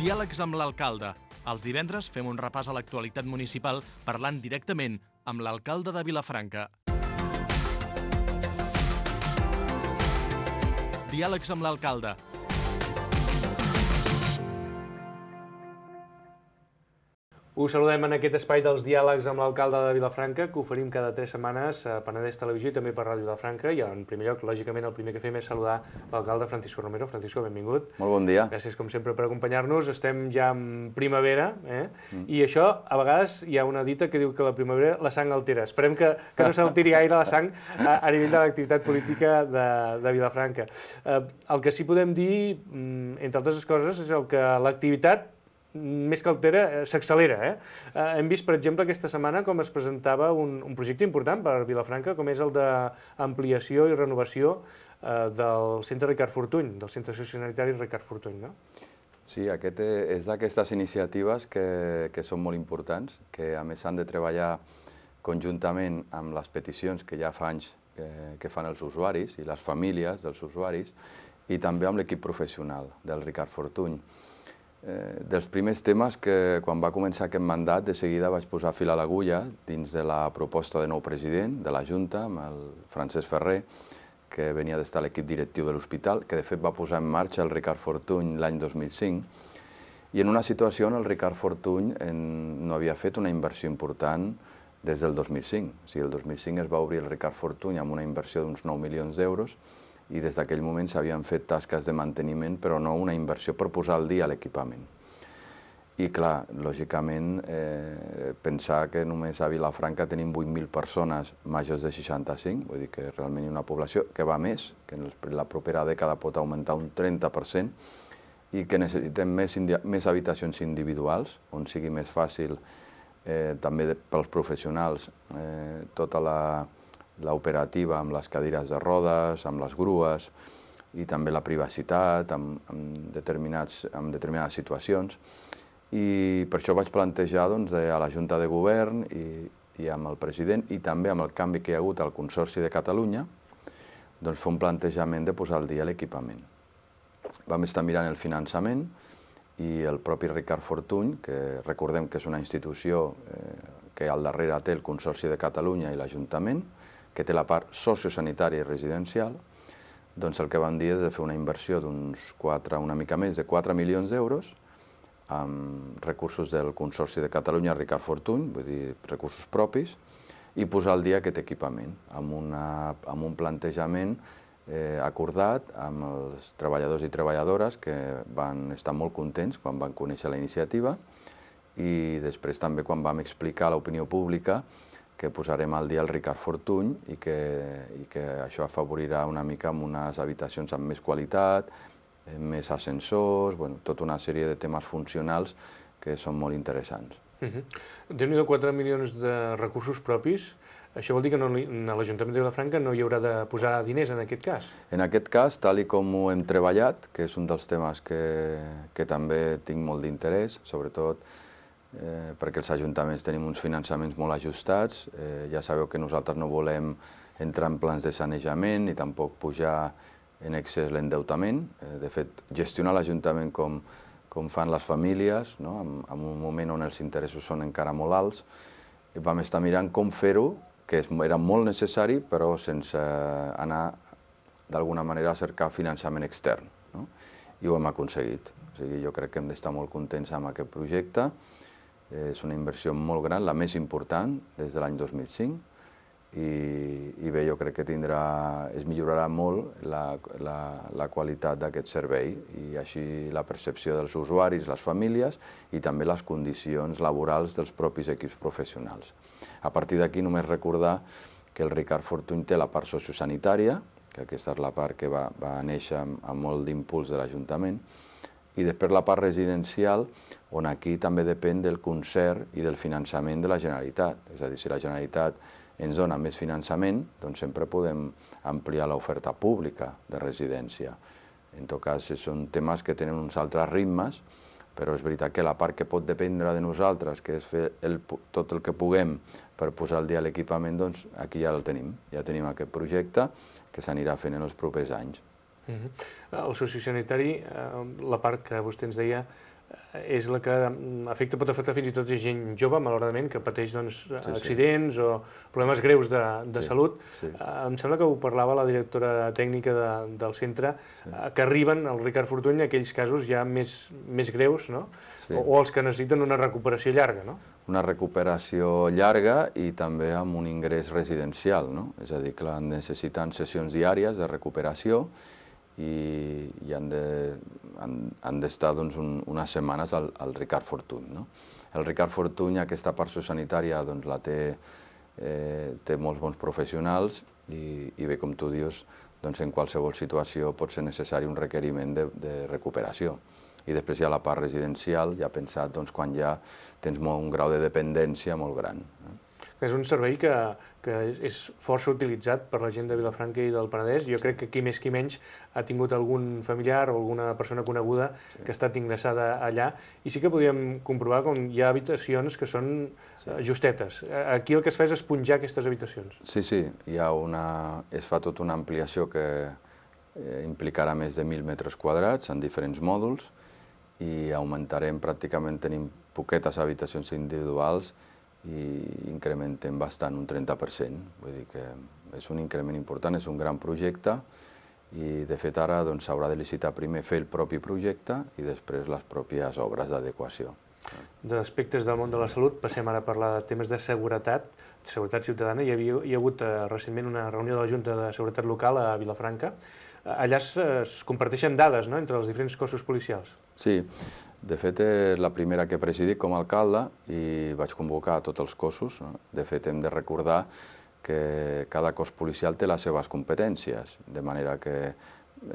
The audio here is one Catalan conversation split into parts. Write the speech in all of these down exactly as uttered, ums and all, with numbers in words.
Diàlegs amb l'alcalde. Els divendres fem un repàs a l'actualitat municipal parlant directament amb l'alcalde de Vilafranca. Diàlegs amb l'alcalde. Us saludem en aquest espai dels diàlegs amb l'alcalde de Vilafranca, que oferim cada tres setmanes a Penedès Televisió i també per Ràdio Vilafranca. I en primer lloc, lògicament, el primer que fem és saludar l'alcalde Francisco Romero. Francisco, benvingut. Molt bon dia. Gràcies, com sempre, per acompanyar-nos. Estem ja en primavera, eh? Mm. I això, a vegades, hi ha una dita que diu que la primavera la sang altera. Esperem que, que no s'alteri gaire la sang a, a nivell de l'activitat política de, de Vilafranca. Eh, el que sí podem dir, entre altres coses, és el que l'activitat més que altera, s'accelera. Eh? Eh, hem vist, per exemple, aquesta setmana com es presentava un, un projecte important per Vilafranca, com és el d'ampliació i renovació eh, del centre Ricard Fortuny, del centre sociosanitari Ricard Fortuny, no? Sí, aquest és d'aquestes iniciatives que, que són molt importants, que a més han de treballar conjuntament amb les peticions que ja fa anys que, que fan els usuaris i les famílies dels usuaris, i també amb l'equip professional del Ricard Fortuny. Eh, dels primers temes que, quan va començar aquest mandat, de seguida vaig posar fil a l'agulla dins de la proposta de nou president de la Junta, amb el Francesc Ferrer, que venia d'estar a l'equip directiu de l'hospital, que de fet va posar en marxa el Ricard Fortuny l'any dos mil cinc, i en una situació on el Ricard Fortuny en, no havia fet una inversió important des del dos mil cinc. O sigui, el dos mil cinc es va obrir el Ricard Fortuny amb una inversió d'uns nou milions d'euros, i des d'aquell moment s'havien fet tasques de manteniment, però no una inversió per posar al dia l'equipament. I clar, lògicament, eh, pensar que només a Vilafranca tenim vuit mil persones majors de seixanta-cinc, vull dir que realment hi ha una població que va més, que en la propera dècada pot augmentar un trenta per cent, i que necessitem més, més habitacions individuals, on sigui més fàcil, eh, també pels professionals, eh, tota la l'operativa amb les cadires de rodes, amb les grues, i també la privacitat amb, amb, determinats, amb determinades situacions. I per això vaig plantejar doncs, a la Junta de Govern i, i amb el president, i també amb el canvi que hi ha hagut al Consorci de Catalunya, doncs, fer un plantejament de posar al dia l'equipament. Vam estar mirant el finançament i el propi Ricard Fortuny, que recordem que és una institució eh, que al darrere té el Consorci de Catalunya i l'Ajuntament, que té la part sociosanitària i residencial, doncs el que van dir és de fer una inversió d'uns quatre, una mica més de quatre milions d'euros amb recursos del Consorci de Catalunya Ricard Fortuny, vull dir, recursos propis, i posar al dia aquest equipament amb, una, amb un plantejament eh, acordat amb els treballadors i treballadores que van estar molt contents quan van conèixer la iniciativa, i després també quan vam explicar a l'opinió pública que posarem al dia el Ricard Fortuny i que, i que això afavorirà una mica amb unes habitacions amb més qualitat, més ascensors, bueno, tota una sèrie de temes funcionals que són molt interessants. Uh-huh. Déu-n'hi-do, quatre milions de recursos propis. Això vol dir que no, a l'Ajuntament de Vilafranca no hi haurà de posar diners en aquest cas? En aquest cas, tal i com ho hem treballat, que és un dels temes que, que també tinc molt d'interès, sobretot Eh, perquè els ajuntaments tenim uns finançaments molt ajustats. Eh, ja sabeu que nosaltres no volem entrar en plans de sanejament ni tampoc pujar en excés l'endeutament. Eh, de fet, gestionar l'Ajuntament com, com fan les famílies, no? en, en un moment on els interessos són encara molt alts, i vam estar mirant com fer-ho, que era molt necessari, però sense anar d'alguna manera a cercar finançament extern. No? I ho hem aconseguit. O sigui, jo crec que hem d'estar molt contents amb aquest projecte. És una inversió molt gran, la més important des de l'any dos mil cinc, i, i bé, jo crec que tindrà, es millorarà molt la, la, la qualitat d'aquest servei i així la percepció dels usuaris, les famílies i també les condicions laborals dels propis equips professionals. A partir d'aquí només recordar que el Ricard Fortuny té la part sociosanitària, que aquesta és la part que va, va néixer amb, amb molt d'impuls de l'Ajuntament, i després la part residencial, on aquí també depèn del concert i del finançament de la Generalitat. És a dir, si la Generalitat ens dona més finançament, doncs sempre podem ampliar l'oferta pública de residència. En tot cas, són temes que tenen uns altres ritmes, però és veritat que la part que pot dependre de nosaltres, que és fer el, tot el que puguem per posar al dia l'equipament, doncs aquí ja el tenim. Ja tenim aquest projecte que s'anirà fent en els propers anys. Uh-huh. El sociosanitari, la part que vostè ens deia, és la que afecta, pot afectar fins i tot gent jove, malauradament, que pateix doncs, Sí, sí. accidents o problemes greus de, de Sí, salut. sí. Eh, em sembla que ho parlava la directora tècnica de, del centre, eh, que arriben al Ricard Fortuny aquells casos ja més, més greus, no? Sí. O, o els que necessiten una recuperació llarga, no? Una recuperació llarga i també amb un ingrés residencial, no? És a dir, que necessiten sessions diàries de recuperació i, i han d'estar de, doncs, un, unes setmanes al, al Ricard Fortuny. No? El Ricard Fortuny, aquesta part sociosanitària, doncs, la té, eh, té molts bons professionals i, i bé, com tu dius, doncs, en qualsevol situació pot ser necessari un requeriment de, de recuperació. I després hi ha la part residencial, ja pensat doncs, quan ja tens molt, un grau de dependència molt gran. Eh? És un servei que, que és força utilitzat per la gent de Vilafranca i del Penedès. Jo crec que qui més qui menys ha tingut algun familiar o alguna persona coneguda sí. que ha estat ingressada allà. I sí que podíem comprovar com hi ha habitacions que són sí. justetes. Aquí el que es fa és esponjar aquestes habitacions. Sí, sí, hi ha una, es fa tota una ampliació que implicarà més de mil metres quadrats en diferents mòduls i augmentarem, pràcticament tenim poquetes habitacions individuals i incrementem bastant, un trenta per cent. Vull dir que és un increment important, és un gran projecte i de fet ara s'haurà de licitar primer fer el propi projecte i després les pròpies obres d'adequació. D'aspectes del món de la salut passem ara a parlar de temes de seguretat, seguretat ciutadana. Hi, havia, hi ha hagut eh, recentment una reunió de la Junta de Seguretat Local a Vilafranca. Allà es, es comparteixen dades, no?, entre els diferents cossos policials. Sí, de fet és la primera que he presidit com a alcalde i vaig convocar a tots els cossos. De fet hem de recordar que cada cos policial té les seves competències, de manera que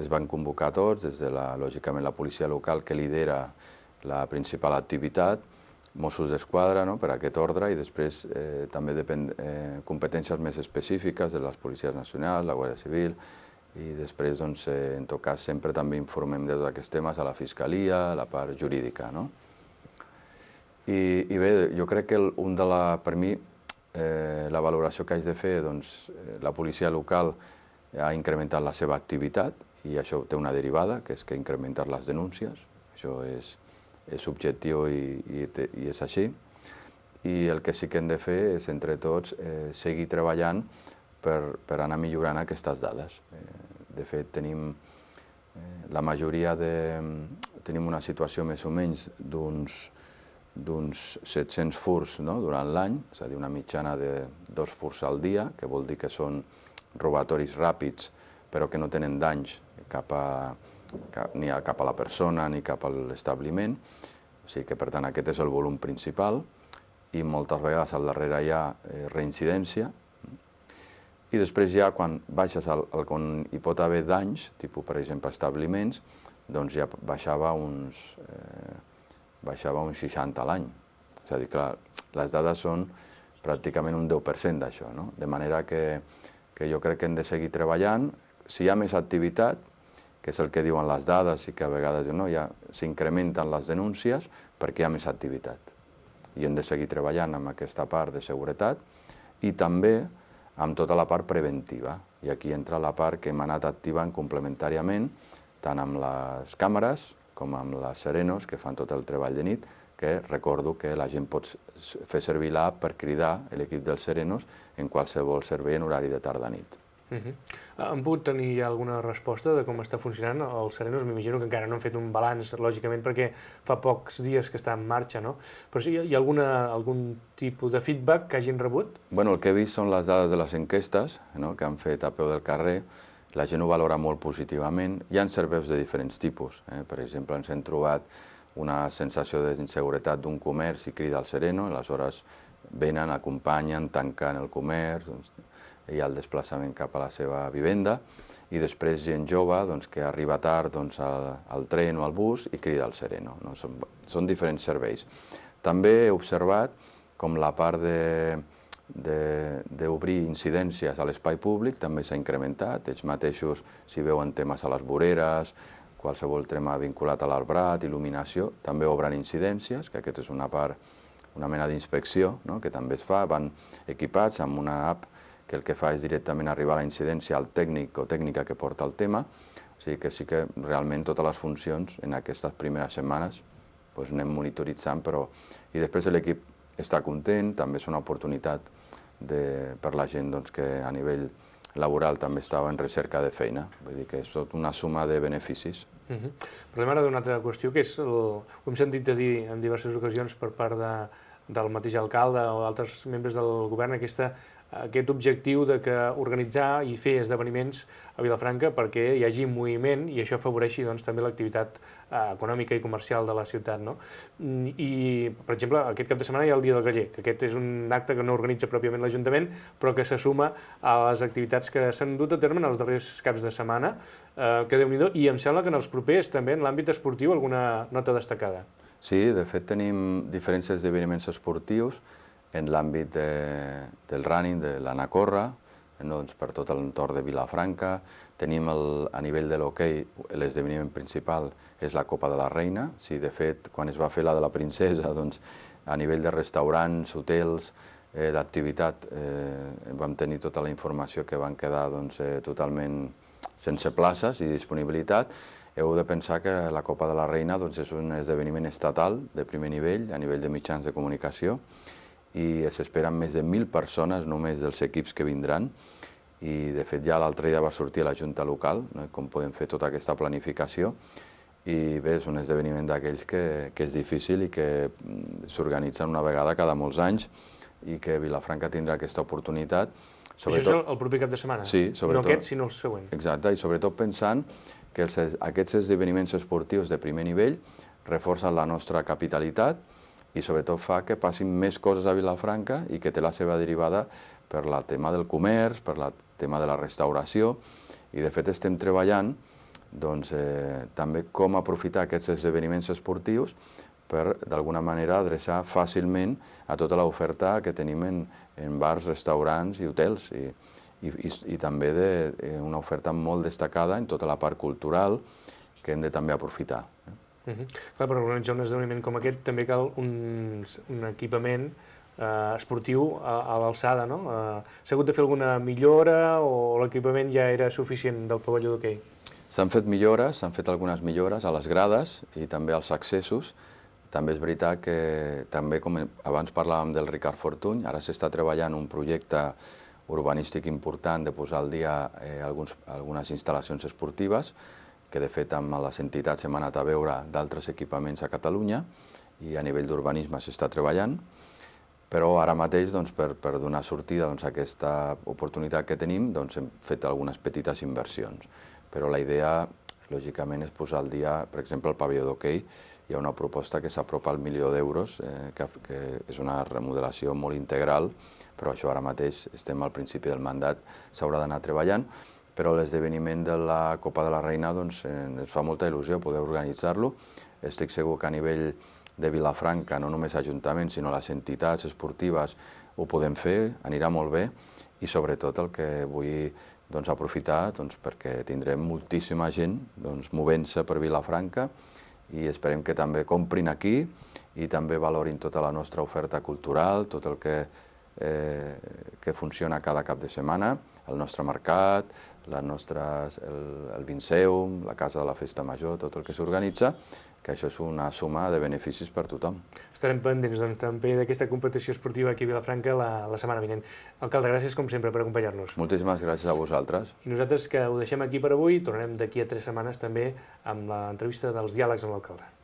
es van convocar tots, des de la, lògicament la policia local que lidera la principal activitat, Mossos d'Esquadra, no?, per aquest ordre, i després eh, també depèn eh, competències més específiques de les policies nacionals, la Guàrdia Civil, i després, doncs, eh, en tot cas, sempre també informem de tots aquests temes a la Fiscalia, a la part jurídica, no? I, i bé, jo crec que el, un de la, per mi, eh, la valoració que haig de fer, doncs, la policia local ha incrementat la seva activitat i això té una derivada, que és que ha incrementat les denúncies. Això és, és objectiu i, i, i és així. I el que sí que hem de fer és, entre tots, eh, seguir treballant per, per anar millorant aquestes dades. Eh, de fet, tenim eh, la majoria de... tenim una situació més o menys d'uns d'uns set-cents furs, no?, durant l'any, és a dir, una mitjana de dos furs al dia, que vol dir que són robatoris ràpids, però que no tenen danys cap a, cap, ni a, cap a la persona ni cap a l'establiment. O sigui que, per tant, aquest és el volum principal i moltes vegades al darrere hi ha eh, reincidència. I després ja, quan baixes al, al, on hi pot haver danys, tipus, per exemple, establiments, doncs ja baixava uns, eh, baixava uns seixanta a l'any. És a dir, clar, les dades són pràcticament un deu per cent d'això, no? De manera que, que jo crec que hem de seguir treballant. Si hi ha més activitat, que és el que diuen les dades i que a vegades no, ja s'incrementen les denúncies perquè hi ha més activitat. I hem de seguir treballant amb aquesta part de seguretat i també amb tota la part preventiva. I aquí entra la part que hem anat activant complementàriament, tant amb les càmeres com amb les Serenos, que fan tot el treball de nit, que recordo que la gent pot fer servir l'app per cridar l'equip dels Serenos en qualsevol servei en horari de tarda-nit. Uh-huh. Han pogut tenir ja alguna resposta de com està funcionant els Serenos? M'imagino que encara no han fet un balanç, lògicament, perquè fa pocs dies que està en marxa, no? Però sí, hi ha alguna, algun tipus de feedback que hagin rebut? Bueno, el que he vist són les dades de les enquestes, no?, que han fet a peu del carrer. La gent ho valora molt positivament. Hi ha serveis de diferents tipus. Eh? Per exemple, ens hem trobat una sensació d'inseguretat d'un comerç i crida al Sereno, aleshores venen, acompanyen, tanquen el comerç, doncs, hi ha el desplaçament cap a la seva vivenda, i després gent jove doncs, que arriba tard doncs, al, al tren o al bus i crida al Sereno. No? Són, són diferents serveis. També he observat com la part de d'obrir incidències a l'espai públic també s'ha incrementat. Ells mateixos, si veuen temes a les voreres, qualsevol tema vinculat a l'arbrat, il·luminació, també obren incidències, que aquesta és una part, una mena d'inspecció, no?, que també es fa. Van equipats amb una app que el que fa és directament arribar a la incidència al tècnic o tècnica que porta el tema. O sigui que sí que realment totes les funcions en aquestes primeres setmanes doncs anem monitoritzant, però... I després l'equip està content, també és una oportunitat de, per la gent doncs, que a nivell laboral també estava en recerca de feina. Vull dir que és tot una suma de beneficis. Uh -huh. Parlem ara d'una altra qüestió, que és, el, ho hem sentit a dir en diverses ocasions per part de, del mateix alcalde o d'altres membres del govern, aquesta, aquest objectiu de que organitzar i fer esdeveniments a Vilafranca perquè hi hagi moviment i això afavoreixi doncs, també l'activitat eh, econòmica i comercial de la ciutat. No? I, per exemple, aquest cap de setmana hi ha el Dia del Graller, que aquest és un acte que no organitza pròpiament l'Ajuntament, però que se suma a les activitats que s'han dut a terme en els darrers caps de setmana, eh, que Déu-n'hi-do, i em sembla que en els propers també en l'àmbit esportiu alguna nota destacada. Sí, de fet tenim diferents esdeveniments esportius en l'àmbit de, del running, de l'anar a córrer, doncs, per tot l'entorn de Vilafranca. Tenim el, a nivell de l'hoquei, l'esdeveniment principal és la Copa de la Reina. Sí, de fet, quan es va fer la de la Princesa, doncs, a nivell de restaurants, hotels, eh, d'activitat, eh, vam tenir tota la informació que van quedar doncs, eh, totalment sense places i disponibilitat. Heu de pensar que la Copa de la Reina doncs, és un esdeveniment estatal de primer nivell, a nivell de mitjans de comunicació, i s'esperen més de mil persones només dels equips que vindran, i de fet ja l'altre dia va sortir a la Junta Local, no? Com podem fer tota aquesta planificació, i bé, és un esdeveniment d'aquells que, que és difícil i que s'organitzen una vegada cada molts anys i que Vilafranca tindrà aquesta oportunitat. Sobretot... Això és el, el proper cap de setmana? Sí, sobretot. No aquest, sinó el següent. Exacte, i sobretot pensant que els, aquests esdeveniments esportius de primer nivell reforcen la nostra capitalitat i sobretot fa que passin més coses a Vilafranca i que té la seva derivada per el tema del comerç, per el tema de la restauració, i de fet estem treballant doncs, eh, també com aprofitar aquests esdeveniments esportius per d'alguna manera adreçar fàcilment a tota l'oferta que tenim en, en bars, restaurants i hotels, i, i, i, i també de, eh, una oferta molt destacada en tota la part cultural que hem de també aprofitar. Uh -huh. Clar, per organitzar un esdeveniment com aquest també cal un, un equipament eh, esportiu a, a l'alçada, no? Eh, S'ha hagut de fer alguna millora o l'equipament ja era suficient del pavelló d'hoquei? S'han fet millores, s'han fet algunes millores a les grades i també als accessos. També és veritat que, també com abans parlàvem del Ricard Fortuny, ara s'està treballant un projecte urbanístic important de posar al dia eh, alguns, algunes instal·lacions esportives, que de fet amb les entitats hem anat a veure d'altres equipaments a Catalunya i a nivell d'urbanisme s'està treballant, però ara mateix doncs, per, per donar sortida doncs, a aquesta oportunitat que tenim doncs, hem fet algunes petites inversions, però la idea lògicament és posar al dia, per exemple, el pavelló d'hoquei. Hi ha una proposta que s'apropa al milió d'euros, eh, que, que és una remodelació molt integral, però això ara mateix estem al principi del mandat, s'haurà d'anar treballant, però l'esdeveniment de la Copa de la Reina doncs, ens fa molta il·lusió poder organitzar-lo. Estic segur que a nivell de Vilafranca, no només Ajuntament, sinó les entitats esportives ho podem fer, anirà molt bé, i sobretot el que vull doncs, aprofitar doncs, perquè tindrem moltíssima gent doncs, movent-se per Vilafranca i esperem que també comprin aquí i també valorin tota la nostra oferta cultural, tot el que, eh, que funciona cada cap de setmana, el nostre mercat, les nostres, el, el Vinceum, la Casa de la Festa Major, tot el que s'organitza, que això és una suma de beneficis per tothom. Estarem pendents doncs, també d'aquesta competició esportiva aquí a Vilafranca la, la setmana vinent. Alcalde, gràcies com sempre per acompanyar-nos. Moltíssimes gràcies a vosaltres. I nosaltres que ho deixem aquí per avui, tornarem d'aquí a tres setmanes també amb l'entrevista dels diàlegs amb l'alcalde.